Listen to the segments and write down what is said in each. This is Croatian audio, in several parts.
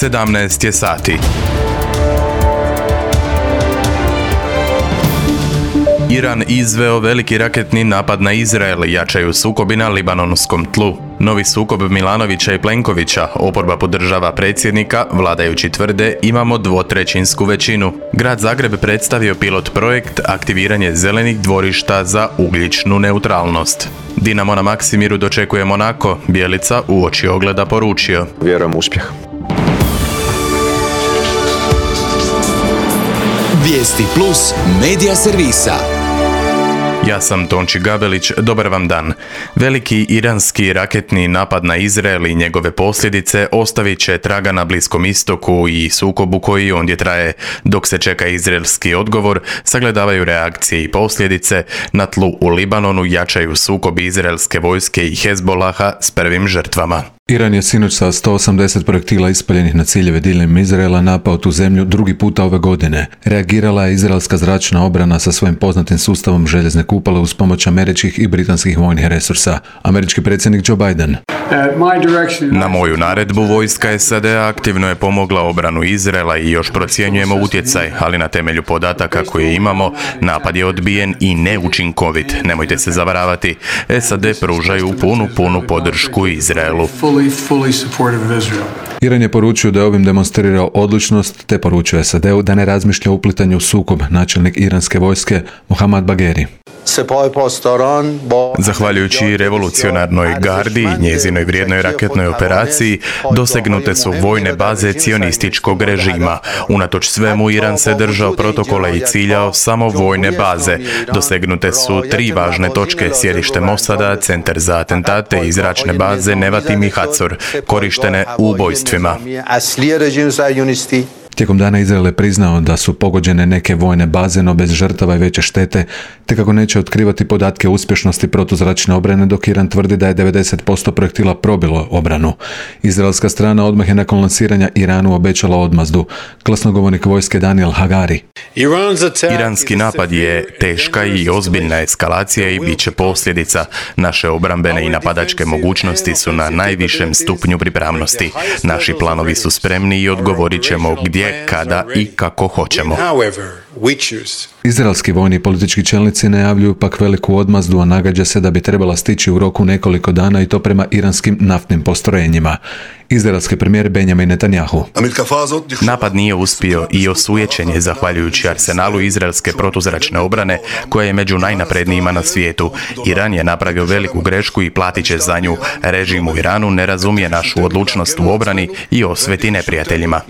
17 je sati. Iran izveo veliki raketni napad na Izrael, jačaju sukobi na libanonskom tlu. Novi sukob Milanovića i Plenkovića, oporba podržava predsjednika, vladajući tvrde imamo dvotrećinsku većinu. Grad Zagreb predstavio pilot projekt aktiviranje zelenih dvorišta za ugljičnu neutralnost. Dinamo na Maksimiru dočekuje Monako, Bjelica uoči ogleda poručio: Vjerujem u uspjeh. Vijesti plus medija servisa. Ja sam Tonči Gabelić, dobar vam dan. Veliki iranski raketni napad na Izrael i njegove posljedice ostavit će traga na Bliskom istoku i sukobu koji ondje traje. Dok se čeka izraelski odgovor, sagledavaju reakcije i posljedice, na tlu u Libanonu jačaju sukobi izraelske vojske i Hezbolaha s prvim žrtvama. Iran je sinoć sa 180 projektila ispaljenih na ciljeve diljem Izraela napao tu zemlju drugi puta ove godine. Reagirala je izraelska zračna obrana sa svojim poznatim sustavom željezne kupole uz pomoć američkih i britanskih vojnih resursa. Američki predsjednik Joe Biden: Na moju naredbu vojska SAD-a aktivno je pomogla obranu Izraela i još procjenjujemo utjecaj, ali na temelju podataka koje imamo, napad je odbijen i neučinkovit. Nemojte se zavaravati, SAD pružaju punu podršku Izraelu. Iran je poručio da je ovim demonstrirao odlučnost, te poručio SAD-u da ne razmišlja o uplitanju u sukob. Načelnik iranske vojske Mohammad Bagheri: Zahvaljujući revolucionarnoj gardi i njezinoj vrijednoj raketnoj operaciji, dosegnute su vojne baze cionističkog režima. Unatoč svemu, Iran se držao protokola i ciljao samo vojne baze. Dosegnute su 3 važne točke: sjedište Mosada, centar za atentate i zračne baze Nevatim i Hatzor, korištene u ubojstvima. Tijekom dana Izrael je priznao da su pogođene neke vojne baze, no bez žrtava i veće štete, te kako neće otkrivati podatke o uspješnosti protuzračne obrane, dok Iran tvrdi da je 90% projektila probilo obranu. Izraelska strana odmah je nakon lansiranja Iranu obećala odmazdu. Glasnogovornik vojske Daniel Hagari: Iranski napad je teška i ozbiljna eskalacija i bit će posljedica. Naše obrambene i napadačke mogućnosti su na najvišem stupnju pripravnosti. Naši planovi su spremni i odgovorit ćemo gdje, kada i kako hoćemo. Izraelski vojni i politički čelnici najavljuju pak veliku odmazdu, a nagađa se da bi trebala stići u roku nekoliko dana, i to prema iranskim naftnim postrojenjima. Izraelski premijer Benjamin Netanjahu: Napad nije uspio i osujećen je zahvaljujući arsenalu izraelske protuzračne obrane, koja je među najnaprednijima na svijetu. Iran je napravio veliku grešku i platit će za nju. Režim u Iranu ne razumije našu odlučnost u obrani i osveti neprijateljima.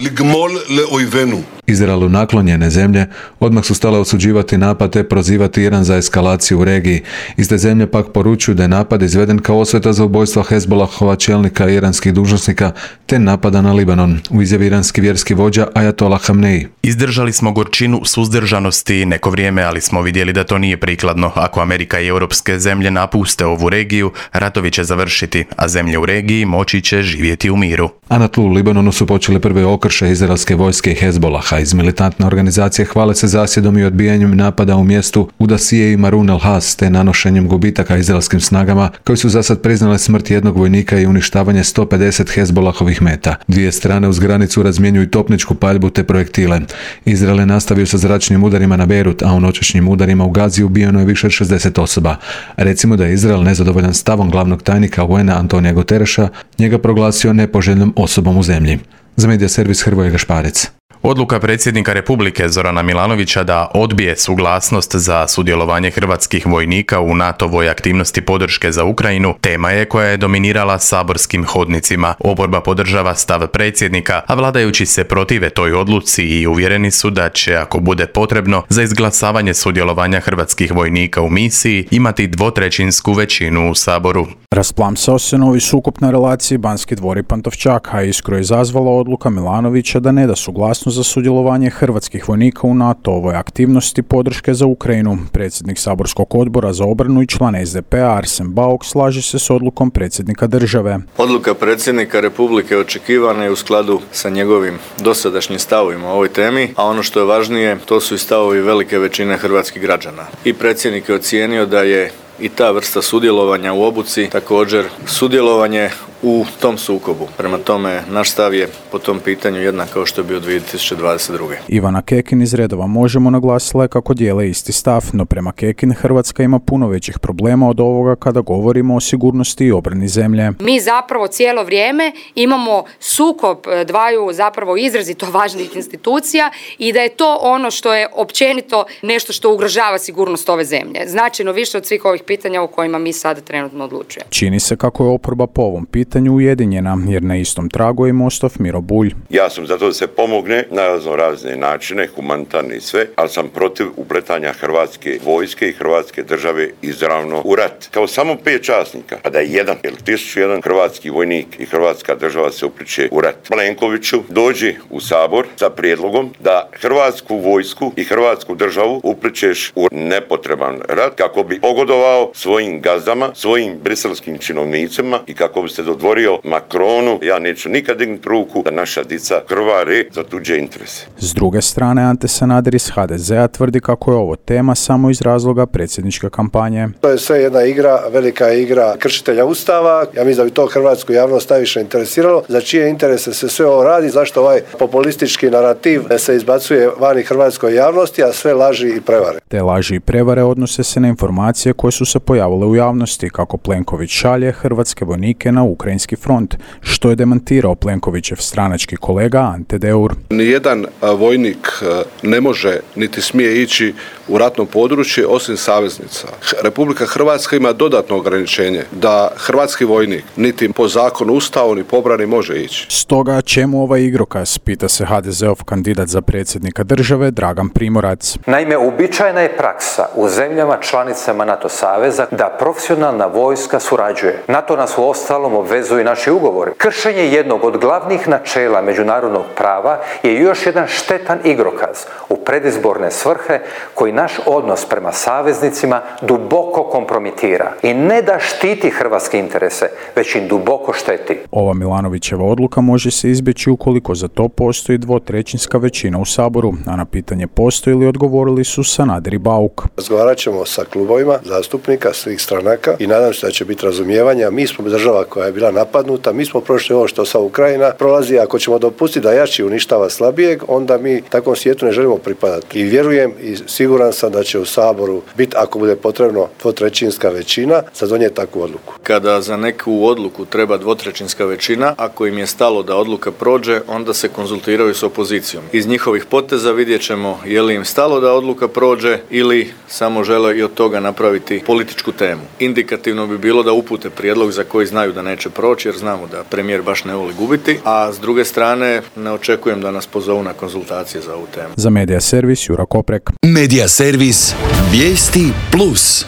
Izraelu naklonjene zemlje odmah su stale osuđivati napad te prozivati Iran za eskalaciju u regiji. Iste zemlje pak poručuju da je napad izveden kao osveta za ubojstva Hezbolahova čelnika i iranskih dužnosnika te napada na Libanon. U izjavi iranski vjerski vođa Ajatola Hamneji: Izdržali smo gorčinu suzdržanosti neko vrijeme, ali smo vidjeli da to nije prikladno. Ako Amerika i europske zemlje napuste ovu regiju, ratovi će završiti, a zemlje u regiji moći će živjeti u miru. A na tlu u Libanonu su počeli prve okršaje izraelske vojske i Hezbolaha. Iz militantne organizacije hvale se zasjedom i odbijanjem napada u mjestu Udasije i Marun al-Has, te nanošenjem gubitaka izraelskim snagama, koji su zasad priznale smrt jednog vojnika i uništavanje 150 Hezbolahovih meta. Dvije strane uz granicu razmjenjuju topničku paljbu te projektile. Izrael je nastavio sa zračnim udarima na Beirut, a u noćašnjim udarima u Gazi ubijeno je više od 60 osoba. Recimo da je Izrael nezadovoljan stavom glavnog tajnika UN-a Antonija Gutereša, njega proglasio nepoželjnom osobom u zemlji. Za medija servis Hrvoje Gašparec. Odluka predsjednika Republike Zorana Milanovića da odbije suglasnost za sudjelovanje hrvatskih vojnika u NATO-voj aktivnosti podrške za Ukrajinu tema je koja je dominirala saborskim hodnicima. Oporba podržava stav predsjednika, a vladajući se protive toj odluci i uvjereni su da će, ako bude potrebno, za izglasavanje sudjelovanja hrvatskih vojnika u misiji imati dvotrećinsku većinu u Saboru. Rasplamsao se novi sukob na relaciji Banski dvor i Pantovčak, a iskru je izazvala odluka Milanovića da ne da suglasnost za sudjelovanje hrvatskih vojnika u NATO-ovoj aktivnosti podrške za Ukrajinu. Predsjednik saborskog odbora za obranu i član SDP-a Arsen Bauk slaže se s odlukom predsjednika države. Odluka predsjednika Republike očekivana je u skladu sa njegovim dosadašnjim stavovima o ovoj temi, a ono što je važnije, to su i stavovi velike većine hrvatskih građana. I predsjednik je ocijenio da je i ta vrsta sudjelovanja u obuci također sudjelovanje u tom sukobu. Prema tome, naš stav je po tom pitanju jednak kao što je bio 2022. Ivana Kekin iz redova Možemo naglasila je kako dijele isti stav, no prema Kekin Hrvatska ima puno većih problema od ovoga kada govorimo o sigurnosti i obrani zemlje. Mi zapravo cijelo vrijeme imamo sukob dvaju zapravo izrazito važnih institucija i da je to ono što je općenito nešto što ugrožava sigurnost ove zemlje. Značajno više od svih ovih pitanja o kojima mi sada trenutno odlučujemo. Čini se kako je oporba po ovom pitanju ujedinjena, jer na istom tragu je Mostov Miro Bulj. Ja sam za to da se pomogne na razne načine, humanitarne i sve, ali sam protiv upletanja hrvatske vojske i hrvatske države izravno u rat. Kao samo 5 časnika, a da je jedan ili 1001 hrvatski vojnik i hrvatska država se upliče u rat. Plenkoviću dođi u Sabor sa prijedlogom da hrvatsku vojsku i hrvatsku državu upličeš u nepotreban rat kako bi pogodovao svojim gazdama, svojim briselskim činovnicima i kako bi se dodvorio Macronu. Ja neću nikad dignuti ruku da naša dica krvari za tuđe interese. S druge strane, Ante Sanader iz HDZ-a tvrdi kako je ovo tema samo iz razloga predsjedničke kampanje. To je sve jedna igra, velika igra kršitelja Ustava. Ja mislim da bi to hrvatsku javnost najviše interesiralo. Za čije interese se sve ovo radi, zašto ovaj populistički narativ se izbacuje vani hrvatskoj javnosti, a sve laži i prevare. Te laži i prevare odnose se na informacije koje su se pojavile u javnosti, kako Plenković šalje hrvatske vojnike na ukrajinski front, što je demantirao Plenkovićev stranački kolega Ante Deur. Nijedan vojnik ne može niti smije ići u ratno područje osim saveznica. Republika Hrvatska ima dodatno ograničenje da hrvatski vojnik niti po zakonu Ustavu ni po obrani može ići. Stoga čemu ovaj igrokaz, pita se HDZ-ov kandidat za predsjednika države Dragan Primorac. Naime, uobičajena je praksa u zemljama članicama NATO saveza da profesionalna vojska surađuje. NATO nas uostalom obvezuju naši ugovori. Kršenje jednog od glavnih načela međunarodnog prava je još jedan štetan igrokaz u predizborne svrhe koji naš odnos prema saveznicima duboko kompromitira i ne da štiti hrvatske interese, već im duboko šteti. Ova Milanovićeva odluka može se izbjeći ukoliko za to postoji 2/3 većina u Saboru, a na pitanje postoji li odgovorili su Sanader i Bauk. Razgovarat ćemo sa klubovima zastupnika svih stranaka i nadam se da će biti razumijevanja. Mi smo država koja je bila napadnuta, mi smo prošli ovo što sa Ukrajina prolazi. Ako ćemo dopustiti da jači uništava slabijeg, onda mi takvom svijetu ne želimo pripadati. I vjerujem i siguran sam da će u Saboru biti, ako bude potrebno, 2/3 većina za donijeti takvu odluku. Kada za neku odluku treba 2/3 većina, ako im je stalo da odluka prođe, onda se konzultiraju s opozicijom. Iz njihovih poteza vidjet ćemo je li im stalo da odluka prođe ili samo žele i od toga napraviti političku temu. Indikativno bi bilo da upute prijedlog za koji znaju da neće proći, jer znamo da premijer baš ne voli gubiti, a s druge strane ne očekujem da nas pozovu na konzultacije za ovu temu. Za Medija servis Jura Koprek. Medija servis Vijesti Plus.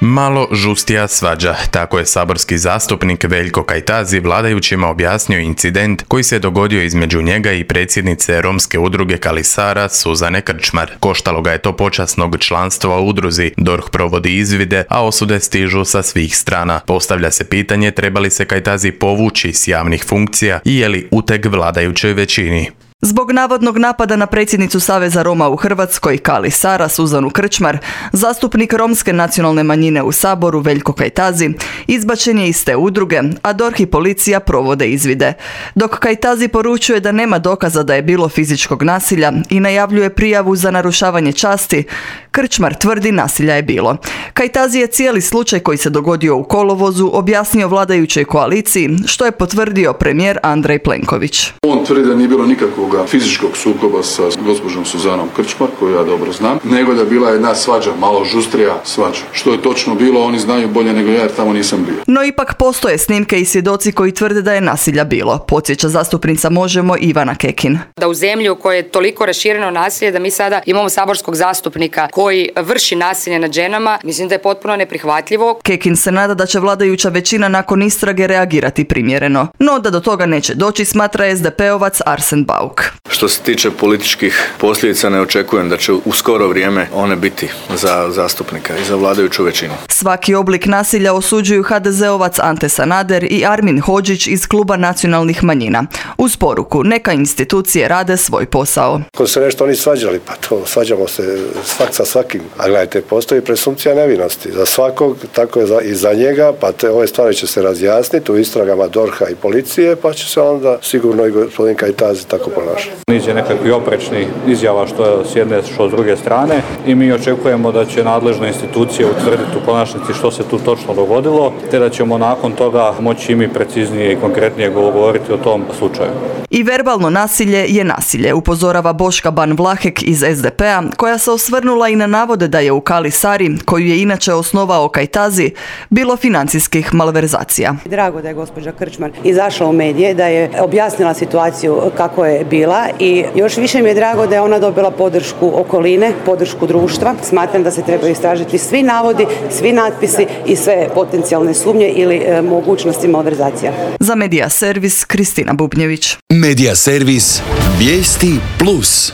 Malo žustija svađa, tako je saborski zastupnik Veljko Kajtazi vladajućima objasnio incident koji se dogodio između njega i predsjednice romske udruge Kali Sara Suzane Krčmar. Koštalo ga je to počasnog članstva u udruzi, DORH provodi izvide, a osude stižu sa svih strana. Postavlja se pitanje treba li se Kajtazi povući s javnih funkcija i je li uteg vladajućoj većini. Zbog navodnog napada na predsjednicu Saveza Roma u Hrvatskoj, Kali Sara Suzanu Krčmar, zastupnik romske nacionalne manjine u Saboru Veljko Kajtazi izbačen je iz te udruge, a DORH i policija provode izvide. Dok Kajtazi poručuje da nema dokaza da je bilo fizičkog nasilja i najavljuje prijavu za narušavanje časti, Krčmar tvrdi nasilja je bilo. Kajtazi je cijeli slučaj koji se dogodio u kolovozu objasnio vladajućoj koaliciji, što je potvrdio premijer Andrej Plenković. On tvrdi da nije bilo nikakvog fizičkog sukoba sa gospođom Suzanom Krčmar, koju ja dobro znam, nego da je bila jedna svađa, malo žustrija svađa. Što je točno bilo, oni znaju bolje nego ja jer tamo nisam bio. No ipak postoje snimke i svjedoci koji tvrde da je nasilja bilo, podsjeća zastupnica Možemo Ivana Kekin. Da u zemlji u kojoj je toliko rašireno nasilje da mi sada imamo saborskog zastupnika koji vrši nasilje nad ženama, mislim da je potpuno neprihvatljivo. Kekin se nada da će vladajuća većina nakon istrage reagirati primjereno. No da do toga neće doći, smatra SDP-ovac Arsen Bauk. rok. Što se tiče političkih posljedica, ne očekujem da će u skoro vrijeme one biti za zastupnika i za vladajuću većinu. Svaki oblik nasilja osuđuju HDZ-ovac Ante Sanader i Armin Hodžić iz Kluba nacionalnih manjina. Uz poruku, neka institucije rade svoj posao. Ako se nešto oni svađali, pa to svađamo se svak sa svakim. A gledajte, postoji presumpcija nevinosti za svakog, tako je i za njega, pa ove stvari će se razjasniti u istragama DORH-a i policije, pa će se onda sigurno i gospodin Kajtazi tako ponašati. Niz je nekakvih oprečnih izjava što s jedne, što s druge strane i mi očekujemo da će nadležne institucije utvrditi u konačnici što se tu točno dogodilo, te da ćemo nakon toga moći i mi preciznije i konkretnije govoriti o tom slučaju. I verbalno nasilje je nasilje, upozorava Boška Ban Vlahek iz SDP-a, koja se osvrnula i na navode da je u Kali Sari, koju je inače osnovao Kajtazi, bilo financijskih malverzacija. Drago da je gospođa Krčmar izašla u medije, da je objasnila situaciju kako je bila i još više mi je drago da je ona dobila podršku okoline, podršku društva. Smatram da se trebaju istražiti svi navodi, svi natpisi i sve potencijalne sumnje ili mogućnosti malverzacija. Za Medija Servis, Kristina Bubnjević. Medija Servis, vijesti plus.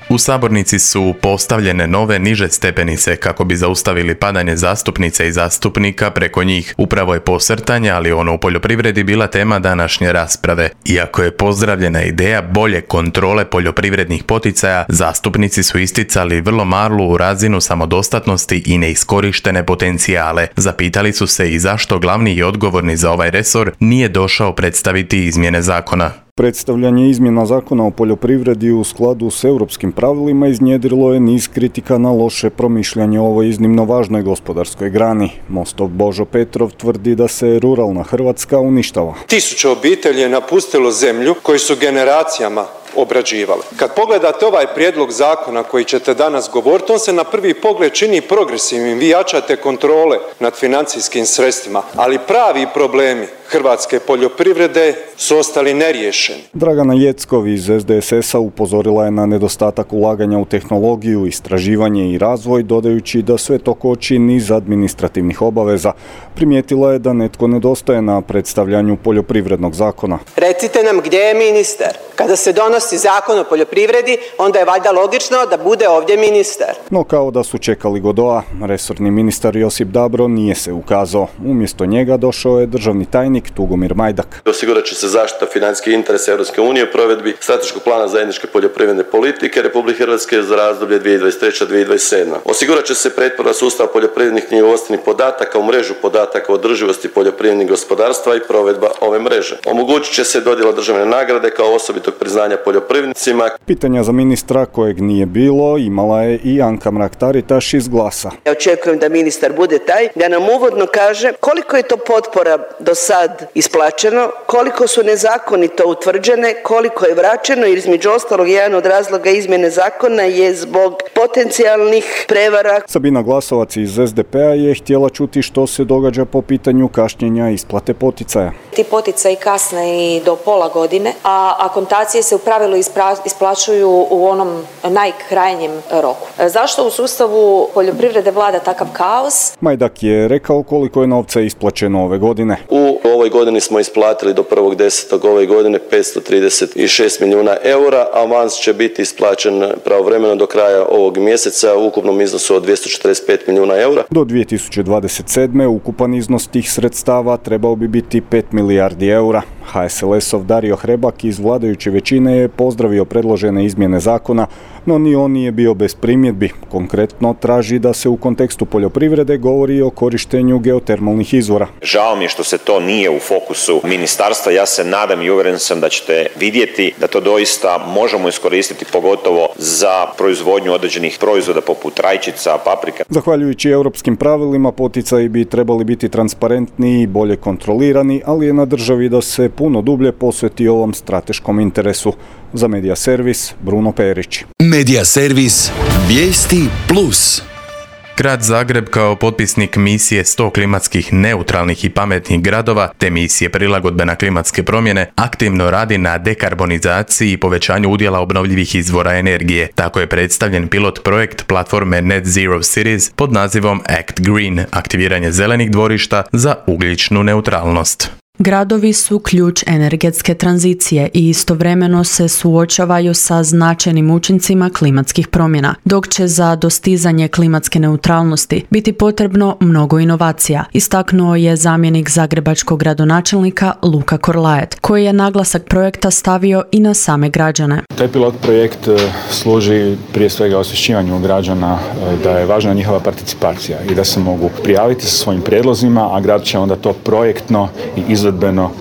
U sabornici su postavljene nove niže stepenice kako bi zaustavili padanje zastupnice i zastupnika preko njih. Upravo je posrtanje, ali ono u poljoprivredi bila tema današnje rasprave. Iako je pozdravljena ideja bolje kontrole poljoprivrednih poticaja, zastupnici su isticali vrlo malu razinu samodostatnosti i neiskorištene potencijale. Zapitali su se i zašto glavni i odgovorni za ovaj resor nije došao predstaviti izmjene zakona. Predstavljanje izmjena zakona o poljoprivredi u skladu s europskim pravilima iznjedrilo je niz kritika na loše promišljanje o ovoj iznimno važnoj gospodarskoj grani. Mostov Božo Petrov tvrdi da se ruralna Hrvatska uništava. 1000 obitelji je napustilo zemlju koju su generacijama obrađivale. Kad pogledate ovaj prijedlog zakona koji ćete danas govoriti, on se na prvi pogled čini progresivnim, vi jačate kontrole nad financijskim sredstvima, ali pravi problemi hrvatske poljoprivrede su ostali neriješeni. Dragana Jeckov iz SDSS-a upozorila je na nedostatak ulaganja u tehnologiju, istraživanje i razvoj, dodajući da sve to koči niz administrativnih obaveza. Primijetila je da netko nedostaje na predstavljanju poljoprivrednog zakona. Recite nam gdje je ministar? Kada se donosi zakon o poljoprivredi, onda je valjda logično da bude ovdje ministar. No kao da su čekali Godoa, resorni ministar Josip Dabro nije se ukazao. Umjesto njega došao je državni tajnik Tugomir Majdak. Osigurat će se zaštita financijskih interesa Europske unije u provedbi strateškog plana zajedničke poljoprivredne politike Republike Hrvatske za razdoblje 2023-2027. Osigurat će se pretvorba sustava poljoprivrednih knjigovodstvenih podataka u mrežu podataka o održivosti poljoprivrednih gospodarstva i provedba ove mreže. Omogućit će se dodjela državne nagrade kao osobitog priznanja poljoprivrednicima. Pitanja za ministra kojeg nije bilo imala je i Anka Mrak-Taritaš iz Glasa. Ja očekujem da ministar bude taj da nam uvodno kaže koliko je to potpora do sad isplaćeno, koliko su nezakonito utvrđene, koliko je vraćeno, jer između ostalog jedan od razloga izmjene zakona je zbog potencijalnih prevara. Sabina Glasovac iz SDP-a je htjela čuti što se događa po pitanju kašnjenja isplate poticaja. Ti poticaji kasne i do pola godine, a akontacije se u pravilu isplaćuju u onom najkrajnjem roku. Zašto u sustavu poljoprivrede vlada takav kaos? Majdak je rekao koliko je novca isplaćeno ove godine. U ovoj godini smo isplatili do 1.10. ove godine 536 milijuna eura, avans će biti isplaćen pravovremeno do kraja ovog mjeseca u ukupnom iznosu od 245 milijuna eura. Do 2027. ukupan iznos tih sredstava trebao bi biti 5 milijardi eura. HSLS-ov Dario Hrebak iz vladajuće većine je pozdravio predložene izmjene zakona, no ni on nije bio bez primjedbi. Konkretno traži da se u kontekstu poljoprivrede govori o korištenju geotermalnih izvora. Žao mi je što se to nije u fokusu ministarstva. Ja se nadam i uvjeren sam da ćete vidjeti da to doista možemo iskoristiti pogotovo za proizvodnju određenih proizvoda poput rajčica, paprika. Zahvaljujući europskim pravilima poticaji bi trebali biti transparentniji i bolje kontrolirani, ali je na državi da se puno dublje posveti ovom strateškom interesu. Za Medija Servis, Bruno Perić. Medija Servis, vijesti plus. Grad Zagreb kao potpisnik misije 100 klimatskih neutralnih i pametnih gradova te misije prilagodbe na klimatske promjene aktivno radi na dekarbonizaciji i povećanju udjela obnovljivih izvora energije. Tako je predstavljen pilot projekt platforme Net Zero Cities pod nazivom Act Green, aktiviranje zelenih dvorišta za ugljičnu neutralnost. Gradovi su ključ energetske tranzicije i istovremeno se suočavaju sa značajnim učincima klimatskih promjena, dok će za dostizanje klimatske neutralnosti biti potrebno mnogo inovacija, istaknuo je zamjenik zagrebačkog gradonačelnika Luka Korlajet, koji je naglasak projekta stavio i na same građane. Taj pilot projekt služi prije svega osvješćivanju građana da je važna njihova participacija i da se mogu prijaviti sa svojim prijedlozima, a grad će onda to projektno i izvedbeno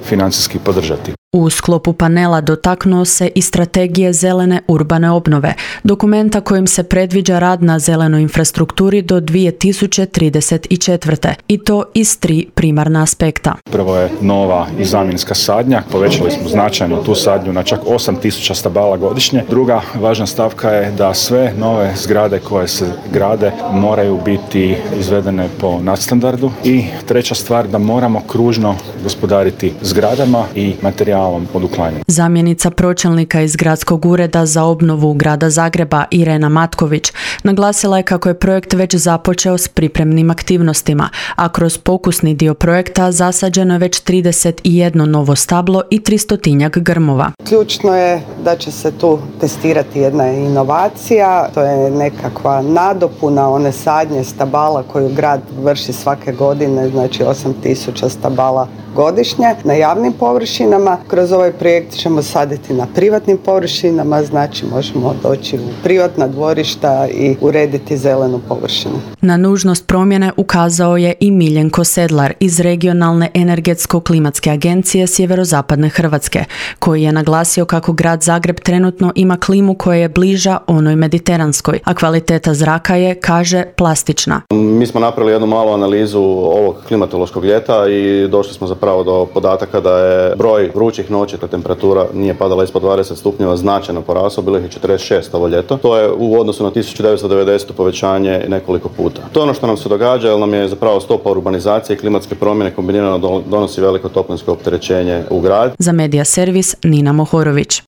financijski podržati. U sklopu panela dotaknuo se i strategije zelene urbane obnove, dokumenta kojim se predviđa rad na zelenoj infrastrukturi do 2034. i to iz 3 primarna aspekta. Prvo je nova i zamjenska sadnja, povećali smo značajno tu sadnju na čak 8.000 stabala godišnje. Druga važna stavka je da sve nove zgrade koje se grade moraju biti izvedene po nadstandardu i treća stvar da moramo kružno gospodariti zgradama i materijalom od uklanjanja. Zamjenica pročelnika iz Gradskog ureda za obnovu Grada Zagreba Irena Matković naglasila je kako je projekt već započeo s pripremnim aktivnostima, a kroz pokusni dio projekta zasađeno je već 31 novo stablo i 300-tinjak grmova. Ključno je da će se tu testirati jedna inovacija, to je nekakva nadopuna one sadnje stabala koju grad vrši svake godine, znači 8.000 stabala godišnje na javnim površinama. Kroz ovaj projekt ćemo saditi na privatnim površinama, znači možemo doći u privatna dvorišta i urediti zelenu površinu. Na nužnost promjene ukazao je i Miljenko Sedlar iz Regionalne energetsko-klimatske agencije Sjeverozapadne Hrvatske, koji je naglasio kako grad Zagreb trenutno ima klimu koja je bliža onoj mediteranskoj, a kvaliteta zraka je, kaže, plastična. Mi smo napravili jednu malu analizu ovog klimatološkog ljeta i došli smo zapravo do podataka da je broj vrućih noći kad temperatura nije padala ispod 20 stupnjeva značajno porasao, bilo ih je 46 ovo ljeto. To je u odnosu na 1990 povećanje nekoliko puta. To je ono što nam se događa, jer nam je zapravo stopa urbanizacije i klimatske promjene kombinirano donosi veliko toplinsko opterećenje u grad. Za Medija servis Nina Mohorović.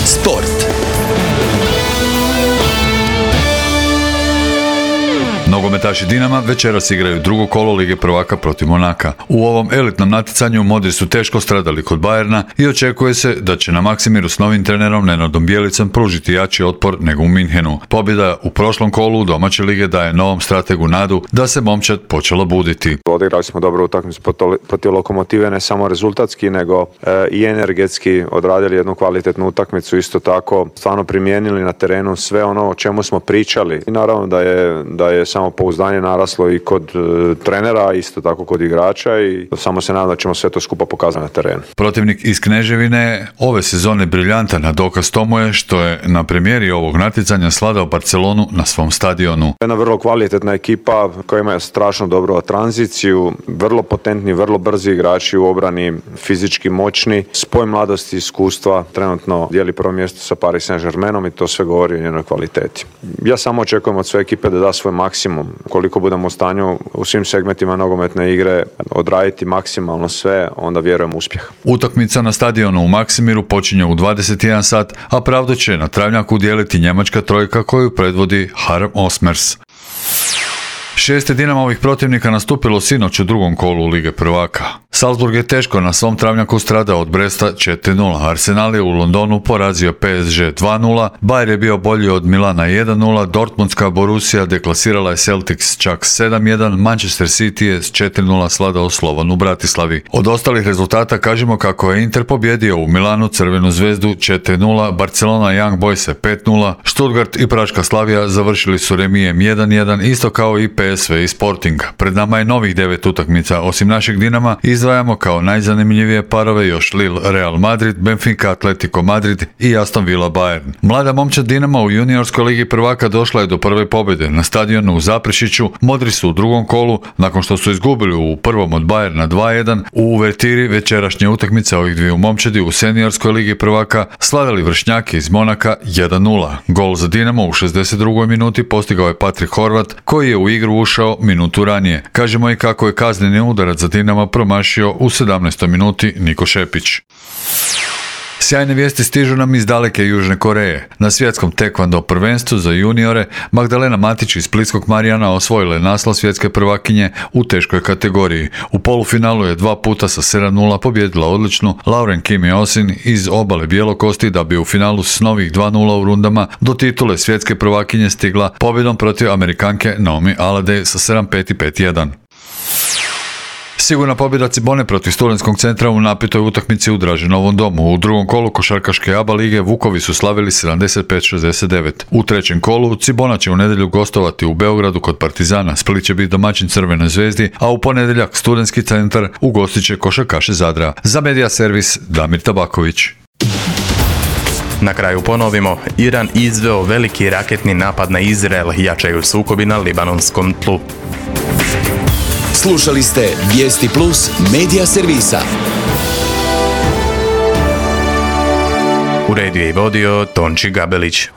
Sport. Nogometaši Dinama večeras igraju drugo kolo Lige prvaka protiv Monaka. U ovom elitnom natjecanju modri su teško stradali kod Bayerna i očekuje se da će na Maksimiru s novim trenerom Nenadom Bjelicom pružiti jači otpor nego u Minhenu. Pobjeda u prošlom kolu domaće lige daje novom strategu nadu da se momčad počela buditi. Odigrali smo dobro utakmicu protiv Lokomotive, ne samo rezultatski nego i energetski odradili jednu kvalitetnu utakmicu, isto tako stvarno primijenili na terenu sve ono o čemu smo pričali. I naravno da je samopouzdanje naraslo i kod trenera, isto tako kod igrača i samo se nadam da ćemo sve to skupa pokazati na terenu. Protivnik iz Kneževine ove sezone briljantan, a dokaz tomu je što je na premijeri ovog natjecanja sladao Barcelonu na svom stadionu. Jedna vrlo kvalitetna ekipa koja ima strašno dobru tranziciju, vrlo potentni, vrlo brzi igrači u obrani, fizički moćni, spoj mladosti i iskustva, trenutno dijeli prvo mjesto sa Paris Saint-Germainom i to sve govori o njenoj kvaliteti. Ja samo očekujem od sve ekipe da da svoj maksimum. Koliko budemo u stanju u svim segmentima nogometne igre odraditi maksimalno sve, onda vjerujem u uspjeh. Utakmica na stadionu u Maksimiru počinje u 21 sat, a pravdu će na travnjaku dijeliti njemačka trojka koju predvodi Harm Osmers. 6 Dinamovih protivnika nastupilo sinoć u drugom kolu Lige prvaka. Salzburg je teško na svom travnjaku stradao od Bresta 4-0. Arsenal je u Londonu porazio PSG 2-0, Bayer je bio bolji od Milana 1-0, Dortmundska Borussia deklasirala je Celtics čak 7-1, Manchester City je s 4-0 sladao Slovan u Bratislavi. Od ostalih rezultata kažemo kako je Inter pobjedio u Milanu Crvenu zvezdu 4-0, Barcelona Young Boyse 5-0, Stuttgart i Praška Slavija završili su remijem 1-1, isto kao i PSV i Sporting. Pred nama je novih 9 utakmica, osim našeg Dinama izdvajamo kao najzanimljivije parove još Lille Real Madrid, Benfica Atletico Madrid i Aston Villa Bayern. Mlada momčad Dinama u juniorskoj ligi prvaka došla je do prve pobjede. Na stadionu u Zaprešiću modri su u drugom kolu, nakon što su izgubili u prvom od Bayerna 2-1, u uvertiri večerašnje utakmice ovih dviju momčadi u seniorskoj ligi prvaka slavili vršnjake iz Monaka 1-0. Gol za Dinamo u 62. minuti postigao je Patrik Horvat, koji je u igru ušao minutu ranije. Kažemo i kako je kazneni udarac za Dinama promašio u 17. minuti Niko Šepić. Sjajne vijesti stižu nam iz daleke Južne Koreje. Na svjetskom tekvando prvenstvu za juniore Magdalena Matić iz Splitskog Marijana osvojila je naslov svjetske prvakinje u teškoj kategoriji. U polufinalu je 2 puta sa 7:0 pobijedila odličnu Lauren Kim Osin iz Obale Bjelokosti, da bi u finalu s novih 2:0 u rundama do titule svjetske prvakinje stigla pobjedom protiv Amerikanke Naomi Alade sa 7:5 i 5:1. Sigurna pobjeda Cibone protiv Studentskog centra u napetoj utakmici u Draženovom domu. U drugom kolu košarkaške ABA lige Vukovi su slavili 75-69. U trećem kolu Cibona će u nedjelju gostovati u Beogradu kod Partizana, Split će biti domaćin Crvenoj zvezdi, a u ponedjeljak Studentski centar ugostit će košarkaše Zadra. Za Medija servis Damir Tabaković. Na kraju ponovimo, Iran izveo veliki raketni napad na Izrael, jačaju sukobi na libanonskom tlu. Slušali ste Vijesti Plus Medija servisa. Uredio i vodio Tonči Gabelić.